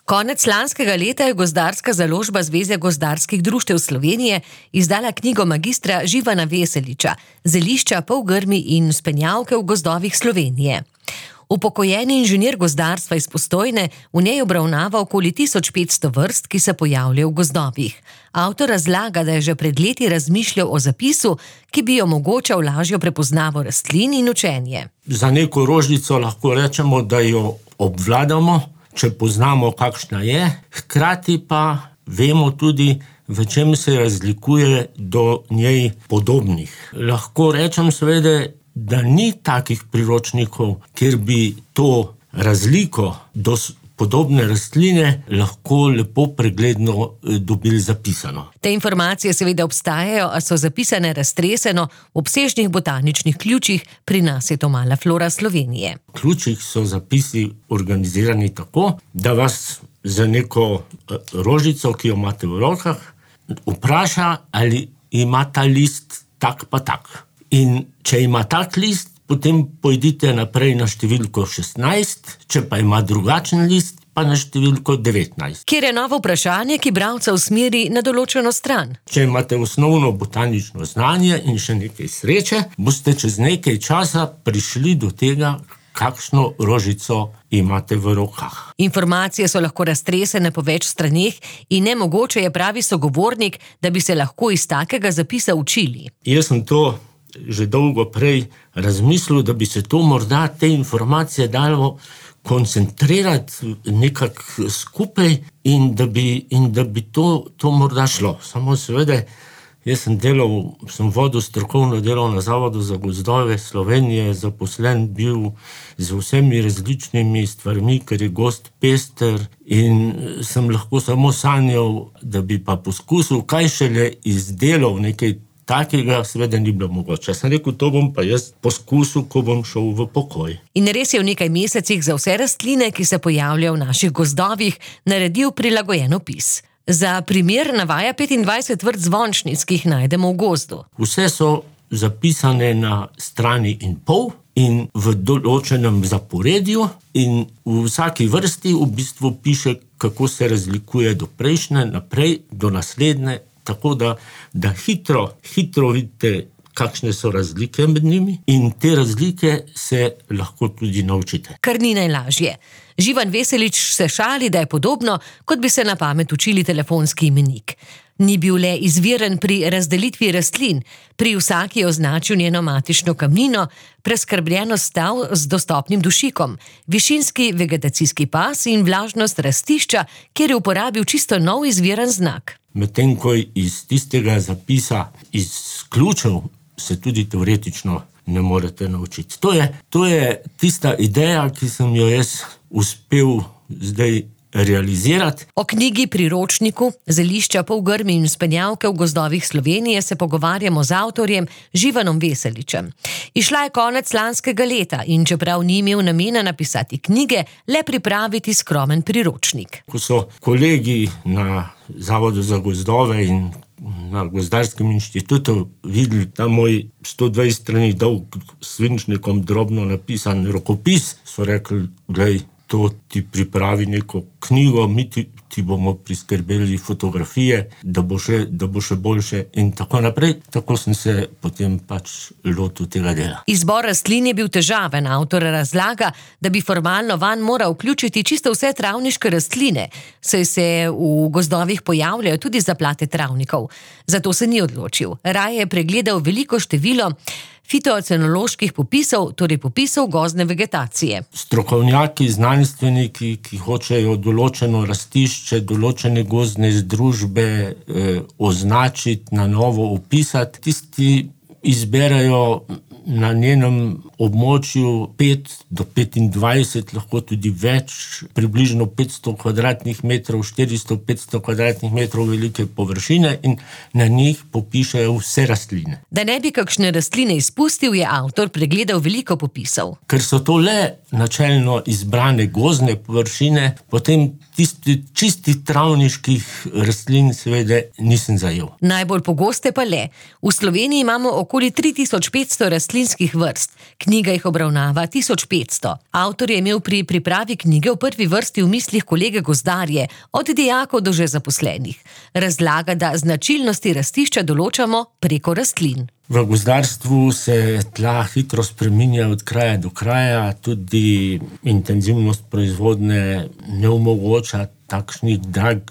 Konec lanskega leta je Gozdarska založba Zveze gozdarskih društev Slovenije izdala knjigo magistra Živana Veseliča Zelišča, polgrmi in spenjavke v gozdovih Slovenije. Upokojeni inženir gozdarstva iz Postojne v njej obravnava okoli 1500 vrst, ki se pojavljajo v gozdovih. Avtor razlaga, da je že pred leti razmišljal o zapisu, ki bi omogočal lažjo prepoznavo rastlin in učenje. Za neko rožico lahko rečemo, da jo obvladamo, če poznamo, kakšna je, hkrati pa vemo tudi, v čem se razlikuje do njej podobnih. Lahko rečem seveda, da ni takih priročnikov, kjer bi to razliko do podobne rastline lahko lepo pregledno dobili zapisano. Te informacije seveda obstajajo, a so zapisane raztreseno v obsežnih botaničnih ključih, pri nas je to mala flora Slovenije. V ključih so zapisi organizirani tako, da vas za neko rožico, ki jo imate v rokah, vpraša, ali ima ta list tak pa tak. In če ima tak list, potem pojdite naprej na številko 16, če pa ima drugačen list, pa na številko 19. Kjer je novo vprašanje, ki bralca usmeri na določeno stran. Če imate osnovno botanično znanje in še nekaj sreče, boste čez nekaj časa prišli do tega, kakšno rožico imate v rokah. Informacije so lahko raztresene po več straneh in nemogoče je, pravi sogovornik, da bi se lahko iz takega zapisa učili. Jaz sem to že dolgo prej razmislil, da bi se to morda te informacije dalo koncentrirati nekako skupaj in da bi to morda šlo. Samo seveda, jaz sem vodil strokovno delo na Zavodu za gozdove Slovenije, zaposlen bil z vsemi različnimi stvarmi, ker je gozd pester, in sem lahko samo sanjal, da bi pa poskusil, kaj šele izdelal nekaj takega, seveda ni bilo mogoče. Sem rekel, to bom pa jaz poskusil, ko bom šel v pokoj. In res je v nekaj mesecih za vse rastline, ki se pojavljajo v naših gozdovih, naredil prilagojen opis. Za primer navaja 25 vrst zvončnic, ki jih najdemo v gozdu. Vse so zapisane na strani in pol in v določenem zaporedju, in v vsaki vrsti v bistvu piše, kako se razlikuje do prejšnje, naprej do naslednje, tako da hitro vidite, kakšne so razlike med njimi, in te razlike se lahko tudi naučite. Kar ni najlažje. Živan Veselič se šali, da je podobno, kot bi se na pamet učili telefonski imenik. Ni bil le izviren pri razdelitvi rastlin, pri vsaki je označil njeno matično kamnino, preskrbljenost stav z dostopnim dušikom, višinski vegetacijski pas in vlažnost rastišča, kjer je uporabil čisto nov izviren znak. Medtem ko iz tistega zapisa izključil se tudi teoretično ne morete naučiti. To je tista ideja, ki sem jo jaz uspel zdaj realizirati. O knjigi priročniku Zelišča, polgrmi in spenjavke v gozdovih Slovenije se pogovarjamo z avtorjem Živanom Veseličem. Išla je konec lanskega leta in čeprav ni imel namena napisati knjige, le pripraviti skromen priročnik. Ko so kolegi na Zavodu za gozdove in na Gozdarskem inštitutu videli ta moj 120 strani dolg svinčnikom drobno napisan rokopis, so rekli, glej, to ti pripravi neko knjigo, mi ti bomo priskrbeli fotografije, da bo še boljše in tako naprej. Tako sem se potem pač lotil tega dela. Izbor rastlin je bil težaven. Avtor razlaga, da bi formalno vanj moral vključiti čisto vse travniške rastline, saj se v gozdovih pojavljajo tudi zaplate travnikov. Zato se ni odločil. Raje je pregledal veliko število fitocenoloških popisov, torej popisov gozdne vegetacije. Strokovnjaki, znanstveniki, ki hočejo določeno rastišče, določene gozdne združbe označiti, na novo opisati, tisti izberajo na njenem območju 5 do 25, lahko tudi več, približno 500 kvadratnih metrov, 400-500 kvadratnih metrov velike površine in na njih popišajo vse rastline. Da ne bi kakšne rastline izpustil, je avtor pregledal veliko popisov. Ker so to le načelno izbrane gozdne površine, potem tisti čisti travniških rastlin seveda nisem zajel. Najbolj pogoste pa le. V Sloveniji imamo okoli 3500 rastlinskih vrst. Knjiga jih obravnava 1500. Avtor je imel pri pripravi knjige v prvi vrsti v mislih kolege gozdarje, od dijakov do že zaposlenih. Razlaga, da značilnosti rastišča določamo preko rastlin. V gozdarstvu se tla hitro spreminja od kraja do kraja, tudi intenzivnost proizvodnje ne omogoča takšnih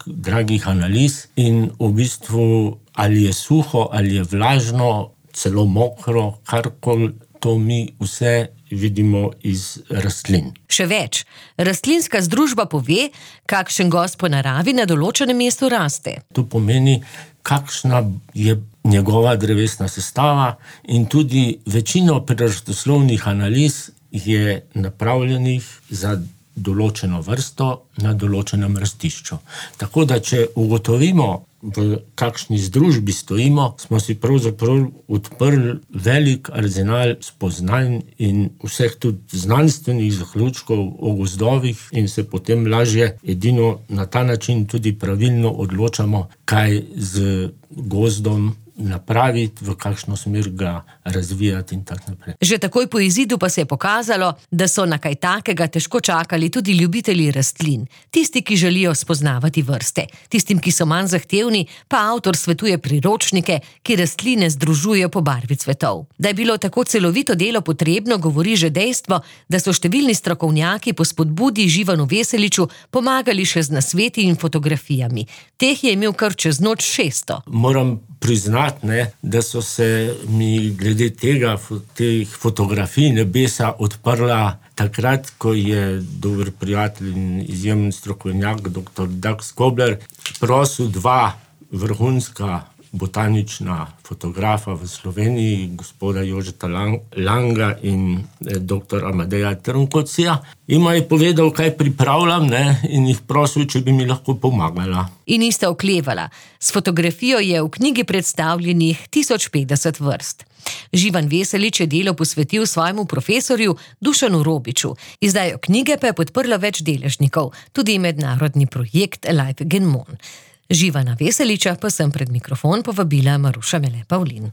dragih analiz in v bistvu ali je suho, ali je vlažno, celo mokro, karkoli, to mi vse vidimo iz rastlin. Še več, rastlinska združba pove, kakšen gozd po naravi na določenem mestu raste. To pomeni, kakšna je njegova drevesna sestava in tudi večino prirodoslovnih analiz je napravljenih za določeno vrsto na določenem rastišču. Tako da, če ugotovimo, v kakšni združbi stojimo, smo si pravzaprav odprli velik arzenal spoznanj in vseh tudi znanstvenih zaključkov o gozdovih in se potem lažje edino na ta način tudi pravilno odločamo, kaj z gozdom napraviti, v kakšno smer ga razvijati in tako naprej. Že takoj po izidu pa se je pokazalo, da so na kaj takega težko čakali tudi ljubitelji rastlin. Tisti, ki želijo spoznavati vrste. Tistim, ki so manj zahtevni, pa avtor svetuje priročnike, ki rastline združujejo po barvi cvetov. Da je bilo tako celovito delo potrebno, govori že dejstvo, da so številni strokovnjaki po spodbudi Živanu Veseliču pomagali še z nasveti in fotografijami. Teh je imel kar čez noč 600. Moram priznati, da so se mi glede teh fotografij nebesa odprla takrat, ko je dober prijatelj in izjemen strokovnjak, dr. Dag Skobler, prosil 2 vrhunska botanična fotografa v Sloveniji, gospoda Jožeta Langa in dr. Amadeja Trnkocija. Ima je povedal, kaj pripravljam, in jih prosil, če bi mi lahko pomagala. In nista oklevala. S fotografijo je v knjigi predstavljenih 1050 vrst. Živan Veselič je delo posvetil svojemu profesorju Dušanu Robiču. Izdajo knjige pa je podprlo več deležnikov, tudi mednarodni projekt Life Genmon. Živana Veseliča pa sem pred mikrofon povabila Maruša Mele Pavlin.